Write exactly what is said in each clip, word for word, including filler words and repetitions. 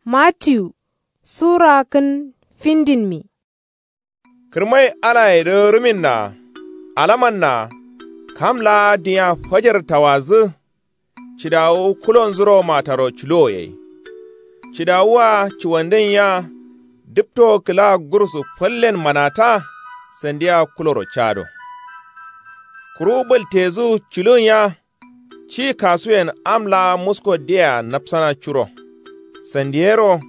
Matiyu sura kǝn findinmi. Kǝrmai alayedǝ ruminna alamanna kam laa dinya fajar tawadǝ. Cidawu kulonzuro mataro culuwo yai. Cidawu-a cuwandǝn ya dǝpto kǝla gursu fallen manata. Sandiya kuloro cado kuru bǝltedǝ culun ya. Ci kasuyen am laa musko diyea napsana curo. Sandiyero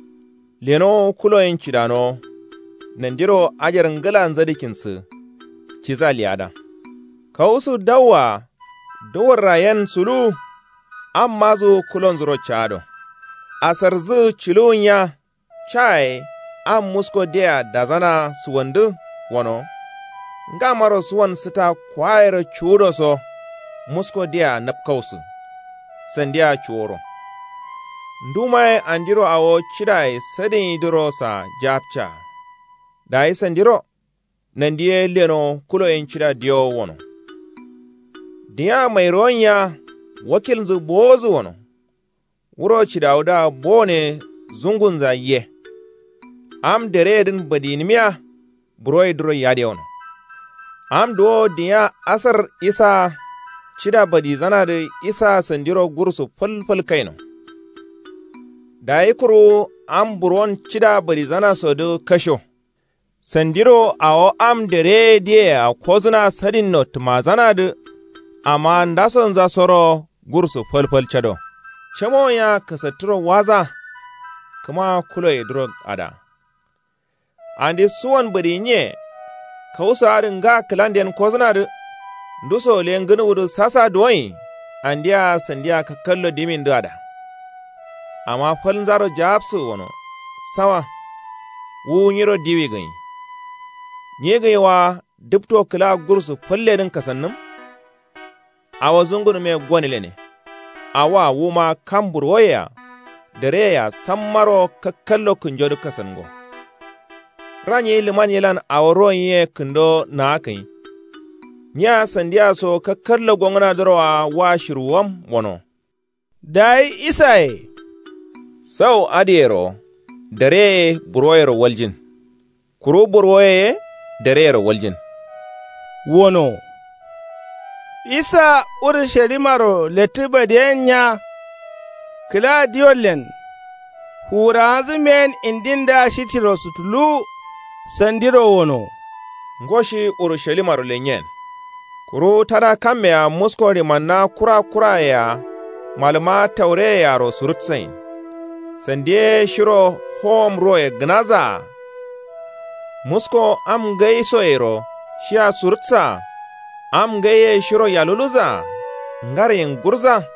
lenowo kuloyen cidanowo. Nandiro ajar ngǝla nzadǝkinsǝ. Ciza liyada kawusu dawwa. Duwurra yen sulu. Am mazu kulonzuro cado asarzǝ culuwun ya. Caye am musko diyea dazana suwandǝ wono. Ngamaro suwan sǝta kwayero cuwudo so musko diyea napkausǝ. Sandiya cuworo ndumaye andiro awo cidaye sadǝnyidǝro sa japca. Dayi sandiro nandi ye leno kuloyen cida diyowo wono. Dinya mairowan ya wakilnzǝ bowozǝ wono. Wuro cidawudǝa bone zungunza ye. Am dereyedǝn badiyinimiya buroyedǝro yadewono. Am duwo dinya asar isaa cida badizanadǝ isaa sandiro gursu falfal kaino. Dayi kuru am buron cida badizanasodǝ kasho. Sandiro awo am dereye diyea kozǝna sadinno tǝmazanadǝ. Amma ndasonzasoro gursu falfal cado camowon ya kasattǝro waza. Kǝma kuloyedǝro ada andi suwon bǝdinye. Kawuso adǝ nga kǝlanden kozǝnadǝ nduso le ngǝnuwudǝ sasa duwoin. Andia sandia kakkallo dimindǝ ada amma falnzaro jawabsǝ wono. Sawa wu nyiro diwi gǝnyi. Nyi gǝnyi wa dǝpto kǝla gursu falledǝn kasannǝm. Awo zungunume gonilene. Awoa wuma kam burwoyea dareyea sammaro kakkallo kǝnjodǝ kasango. Ranyi lǝman yilan awo ronyiye kǝndo naakǝnyi. Nya sandiya so kakkallo gongǝnadǝroa wa shirwuwam wono. Dayi isaye. Sau adǝyero dareye burwoyero waljin. Kuru burwoye ye dareyero waljin. Wono isa urushalimaro lettǝ badiyen nya. Kǝla diwollen fuwurawanzǝ meyen indindǝa shitiro sutuluwu. Sandiro wono. Ngo shi urushalimaro lenyen. Kuru tada kammea musko rimanna kura kuraye-a malǝma taureyeyaro surutsain. Sandi ye shiro howom roye gǝnazaa. Musko am ngaisoyero shia surutsaa. Am ngaiye shiro yaluluzaa. Ngaryin gurza.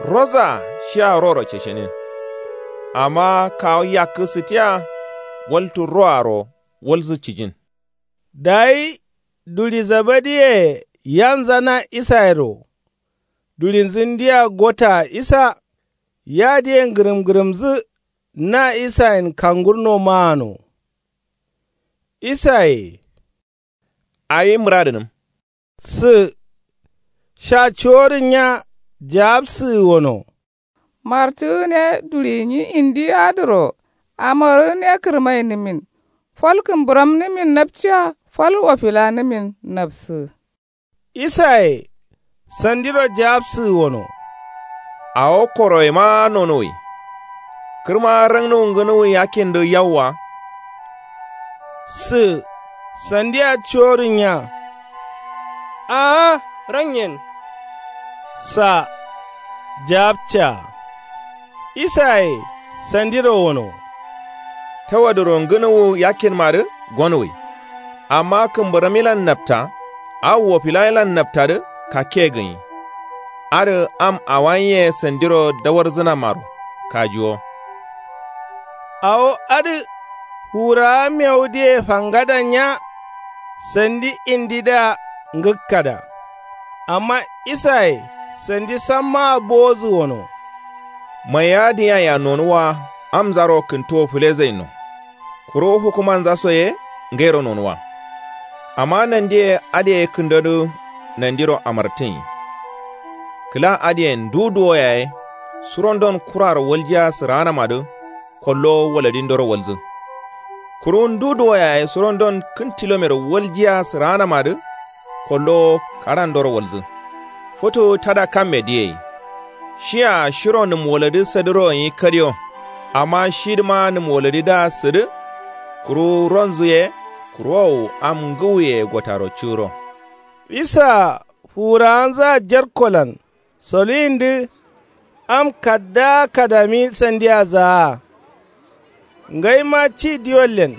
Rozaa shia roro ceshenin. Amma kawu yakkǝ sǝtiya. Waltǝ roaro walsǝ cijin. Dayi duri zabadiye yanza na isayero. Durinzǝ ndia gotaa isa. Yadiye ngǝrǝmngǝrǝmzǝ na isayen kangurno maano. Isaye. Awi mǝradǝnǝm. Sǝ sha cuworǝn nya. Jawabsǝ wono. Martǝgǝne duri nyi indi adǝro. Amorǝgǝne kǝrmainǝmin. Fal kǝmbǝramnǝmin napciya fal wofilanǝmin napsǝ. Isaye sandiro jawabsǝ wono. Awo koroyema nonuwǝi. Kǝrma rangnuwu ngǝnuwu yakkindǝ yauwa. Sǝ sandiya cuworǝn nya. Aa ranyen. Sa jawabca. Isaye sandiro wono. Tawadǝro ngǝnuwu yakkinmadǝ gonuwǝi. Amma kǝmbǝramilan napta. Awo wofilanyilan naptadǝ kakke gǝnyi. Adǝ am awanyiye sandiro dawarzǝnamaro kajuwo. Awo adǝ fuwurawa mewudǝye fangadan nya. Sandi indidǝa ngǝkkada. Amma isaye sandi sammaa bowodǝ wono. Maiya dǝnyia nonuwa. Amzaro kǝntuwo fǝlezainno. Kuru fukumanzaso ye ngairo nonuwa. Amma nandiye adǝ yayi kǝndodǝ. Nandiro amartǝnyi. Kǝla adǝyen ndu duwo yaye. Surondon kuraro waljiya sǝraanamadǝ. kollowo waladindoro walzǝ. Kuru ndu duwo yaye surondon kǝn tilomero waljiya sǝraanamadǝ, kollowo karandoro walzǝ. Futu tada kamme diyeyi. Shiya shiro nǝm waladǝ sadǝro nyi kadiyo. Amma shidǝma nǝm waladǝdǝa sǝdǝ. Kuru ronzǝ ye kurowu am ngǝwuye gotaro curo. Isa fuwurawanzǝa jerkolan soluyindǝ am kaddaa kadami sandiya zaa. Ngaima ci diwollen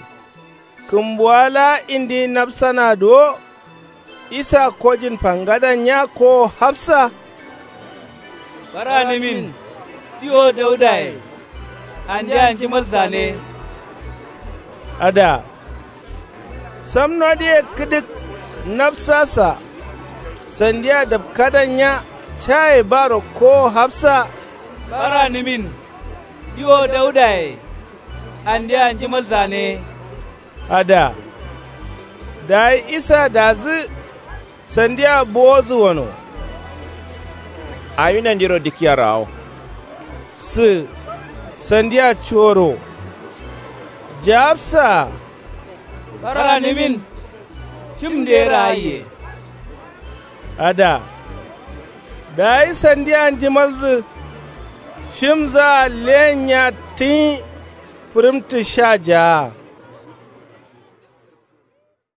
kǝmbuwa laa indi nafsanadǝ wo. Isa kojin fangadanya kowo hafsa. Baranǝmin diwo daudaye. Andeya njimal zane. Ada samnodǝye kǝdǝk nafsasa. Sandiya dapkadanya caye baro kowo hafsa. Baranǝmin diwo daudaye. Andeya njimal zane. Ada dayi isa dazǝ sandiya bowozǝ wono. Awi nandiro dikkiya rawo. Sǝ sandiya cuworo. Jawabsa. Baranǝmin shim nde raayiye. Ada dayi sandiya njimalzǝ shimzǝa lenya tǝnyi. Fǝrǝmtǝ sha jaa.